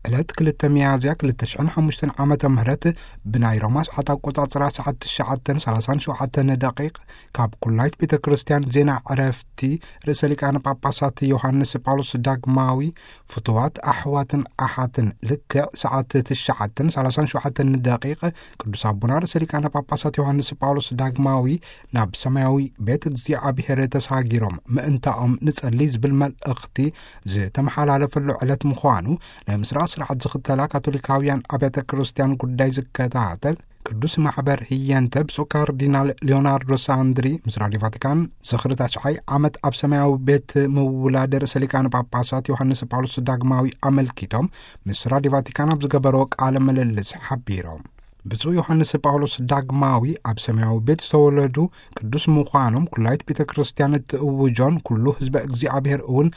ዕለት ክልተ ሚያዝያ ክልተ ሽሕን ሓሙሽተን ዓመተ ምህረት ብናይ ሮማ ሰዓት ኣቆጻጽራ ሰዓት ትሽዓተን ሰላሳን ሸውዓተን ደቂቕ ካብ ኩላይት ቤተ ክርስቲያን ዜና ዕረፍቲ ርእሰ ሊቃነ ጳጳሳት ዮሃንስ ጳውሎስ ዳግማዊ ፍቱዋት ኣሕዋትን ኣሓትን ልክዕ ሰዓት ትሽዓተን ሰላሳን ሸውዓተን ደቂቕ ቅዱስ ኣቦና ርእሰ ሊቃነ ጳጳሳት ዮሃንስ ጳውሎስ ዳግማዊ ናብ ሰማያዊ ቤት እግዚኣብሔር ተሳጊሮም ምእንታኦም ንጸሊ ዝብል መልእኽቲ ዝተመሓላለፈሉ ዕለት ምዃኑ ናይ ምስራቕ ስርዓት ዝኽተላ ካቶሊካውያን ኣብያተ ክርስቲያን ጉዳይ ዝከታተል ቅዱስ ማሕበር ህየንተ ብፁዕ ካርዲናል ሊዮናርዶ ሳንድሪ ምስ ራድዮ ቫቲካን ዝኽሪ ታሽዓይ ዓመት ኣብ ሰማያዊ ቤት ምውላድ ርእሰ ሊቃነ ጳጳሳት ዮሃንስ ጳውሎስ ዳግማዊ ኣመልኪቶም ምስ ራድዮ ቫቲካን ኣብ ዝገበርዎ ቃለ ምልልስ ሓቢሮም። ብፁዕ ዮሃንስ ጳውሎስ ዳግማዊ ኣብ ሰማያዊ ቤት ዝተወለዱ ቅዱስ ምዃኖም ኩላይት ቤተ ክርስቲያን እትእውጆን ኩሉ ህዝበ እግዚኣብሔር እውን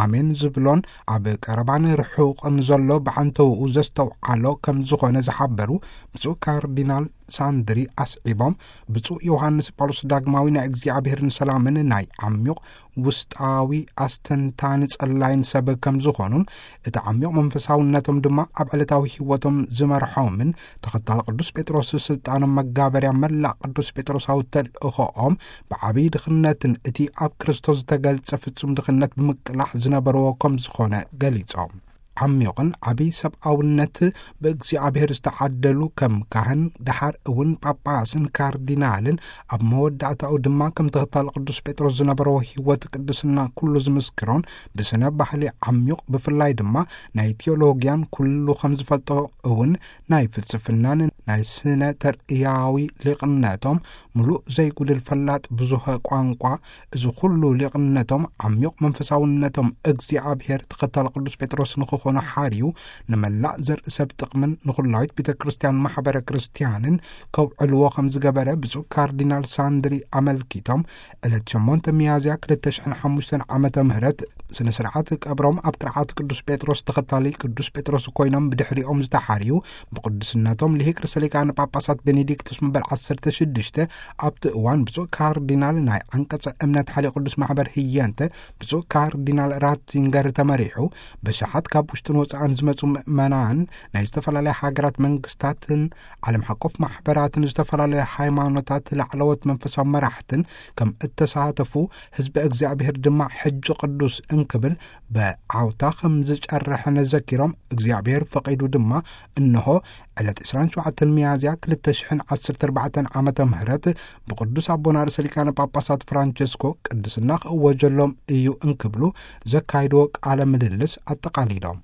ኣሜን ዝብሎን ኣብ ቀረባን ርሑቕን ዘሎ ብዓንተውኡ ዘስተውዓሎ ከም ዝኾነ ዝሓበሩ ብፁዕ ካርዲናል ሳንድሪ ኣስዒቦም፣ ብፁዕ ዮሃንስ ጳውሎስ ዳግማዊ ናይ እግዚኣብሔርን ሰላምን ናይ ዓሚቕ ውስጣዊ ኣስተንታኒ ጸላይን ሰብ ከም ዝኾኑን እቲ ዓሚቕ መንፈሳውነቶም ድማ ኣብ ዕለታዊ ህይወቶም ዝመርሖምን ተኸታሊ ቅዱስ ጴጥሮስ ስልጣኖም መጋበርያ መላእ ቅዱስ ጴጥሮሳዊ ተልእኾኦም ብዓብዪ ድኽነትን እቲ ኣብ ክርስቶስ ዝተገልጸ ፍጹም ድኽነት ብምቅላሕ ዝነበርዎ ከም ዝኾነ ገሊጾም። ዓሚቑን ዓብዪ ሰብኣውነት ብእግዚኣብሔር ዝተዓደሉ ከም ካህን ደሓር እውን ጳጳስን ካርዲናልን ኣብ መወዳእታኡ ድማ ከም ተኸታሊ ቅዱስ ጴጥሮስ ዝነበረዎ ህይወት ቅድስና ኩሉ ዝምስክሮን ብስነ ባህሊ ዓሚቕ ብፍላይ ድማ ናይ ቴዎሎጊያን ኩሉ ከም ዝፈልጦ እውን ናይ ፍልስፍናን ናይ ስነ ተርእያዊ ሊቕነቶም ምሉእ ዘይጉድል ፈላጥ ብዙሀ ቋንቋ እዚ ኩሉ ሊቕነቶም ዓሚቕ መንፈሳውነቶም እግዚኣብሔር ተኸታሊ ቅዱስ ጴጥሮስ ንክኾኑ ሓርዩ ንመላእ ዘርኢ ሰብ ጥቕምን ንኹላዊት ቤተ ክርስቲያን ማሕበረ ክርስቲያንን ከውዕልዎ ከም ዝገበረ ብፁዕ ካርዲናል ሳንድሪ ኣመልኪቶም ዕለት ሸሞንተ ሚያዝያ ክልተ ሽሕን ሓሙሽተን ዓመተ ምህረት ስነ ስርዓት ቀብሮም ኣብ ቅርዓት ቅዱስ ጴጥሮስ ተኸታሊ ቅዱስ ጴጥሮስ ኮይኖም ብድሕሪኦም ዝተሓርዩ ብቅዱስነቶም ልሂቅ ርእሰ ሊቃነ ጳጳሳት ቤኔዲክቶስ መበል ዓሰርተ ሽዱሽተ ኣብቲ እዋን ብፁዕ ካርዲናል ናይ ዓንቀጸ እምነት ሓሊ ቅዱስ ማሕበር ህየንተ ብፁዕ ካርዲናል ራትዚንገር ተመሪሑ ብሽሓት ካብ ውሽጥን ወፃእን ዝመፁ ምእመናን ናይ ዝተፈላለያ ሃገራት መንግስታትን ዓለም ሓቆፍ ማሕበራትን ዝተፈላለያ ሃይማኖታት ላዕለዎት መንፈሳዊ መራሕትን ከም እተሳተፉ ህዝቢ እግዚኣብሔር ድማ ሕጂ ቅዱስ እንክብል ብዓውታ ከም ዝጨርሐ ነዘኪሮም እግዚኣብሔር ፈቒዱ ድማ እንሆ ዕለት ዕስራን ሸውዓተን ሚያዝያ ክልተ ሽሕን ዓሰርተ ኣርባዕተን ዓመተ ምህረት ብቅዱስ ኣቦና ርእሰ ሊቃነ ጳጳሳት ፍራንቸስኮ ቅድስና ክእወጀሎም እዩ እንክብሉ ዘካይድዎ ቃለ ምልልስ ኣጠቓሊሎም።